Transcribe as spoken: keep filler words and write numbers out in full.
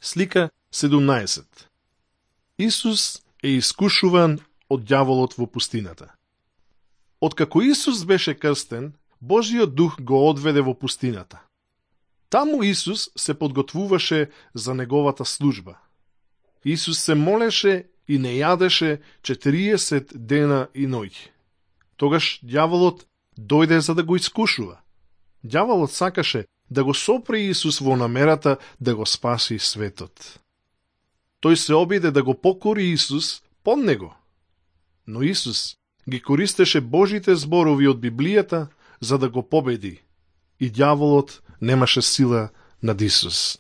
Слика седумнаесет. Исус е искушуван од ѓаволот во пустината. Откако Исус беше крстен, Божиот дух го одведе во пустината. Таму Исус се подготвуваше за неговата служба. Исус се молеше и не јадеше четириесет дена и ноќи. Тогаш ѓаволот дојде за да го искушува. Ѓаволот сакаше да го сопре Исус во намерата да го спаси светот. Тој се обиде да го покори Исус под него. Но Исус ги користеше Божите зборови од Библијата за да го победи и ѓаволот немаше сила над Исус.